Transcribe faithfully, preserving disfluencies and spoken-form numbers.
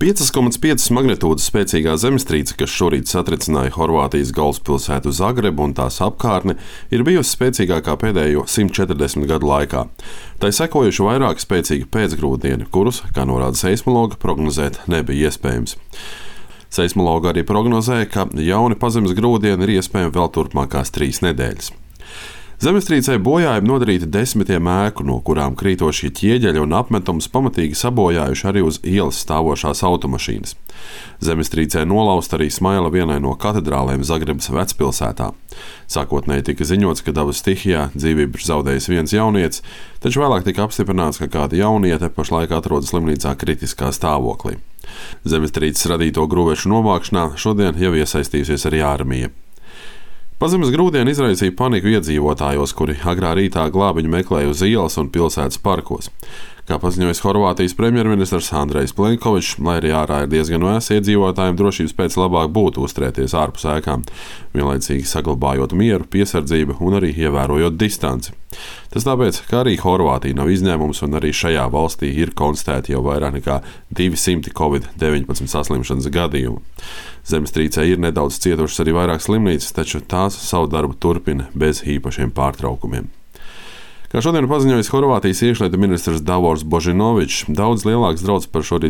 piecas komats piecas magnitūdas spēcīgā zemestrīce, kas šorīt satricināja Horvātijas galvaspilsētu Zagrebu un tās apkārtni, ir bijusi spēcīgākā pēdējo simt četrdesmit gadu laikā. Tai sekojuši vairāki spēcīgi pēcgrūdieni, kurus, kā norāda seismologi, prognozēt nebija iespējams. Seismologi arī prognozēja, ka jauni pazemes grūdieni ir iespējami vēl turpmākās trīs nedēļas. Zemestrīcei bojājumi nodarīti desmitiem ēku, no kurām krītošie ķieģeļi un apmetums pamatīgi sabojājuši arī uz ielas stāvošās automašīnas. Zemestrīcē nolausta arī smaila vienai no katedrālēm Zagrebas vecpilsētā. Sākotnēji tika ziņots, ka dabas stihijā dzīvību ir zaudējis viens jaunietis, taču vēlāk tika apstiprināts, ka kāda jauniete pašlaik atrodas slimnīcā kritiskā stāvoklī. Zemestrīces radīto grūvešu novākšanā šodien jau iesaistījusies arī armija. Pazemes grūdieni izraisīja paniku iedzīvotājos, kuri agrā rītā glābiņu meklēja uz ielas un pilsētas parkos. Kā paziņojis Horvātijas premjerministrs Andrejs Plenkovičs, lai arī ārā ir diezgan vēss, iedzīvotājiem drošības pēc labāk būtu uzturēties ārpus ēkām, vienlaicīgi saglabājot mieru, piesardzību un arī ievērojot distanci. Tas tāpēc, ka arī Horvātija nav izņēmums un arī šajā valstī ir konstatēti jau vairāk nekā divi simti covid deviņpadsmit saslimšanas gadījumu. Zemestrīcē ir nedaudz cietušas arī vairāk slimnīcas, taču tās savu darbu turpina bez īpašiem pārtraukumiem. Kā šodien paziņojis Horvātijas iekšlietu ministrs Davors Božinovičs, daudz lielāks draudz par šorīt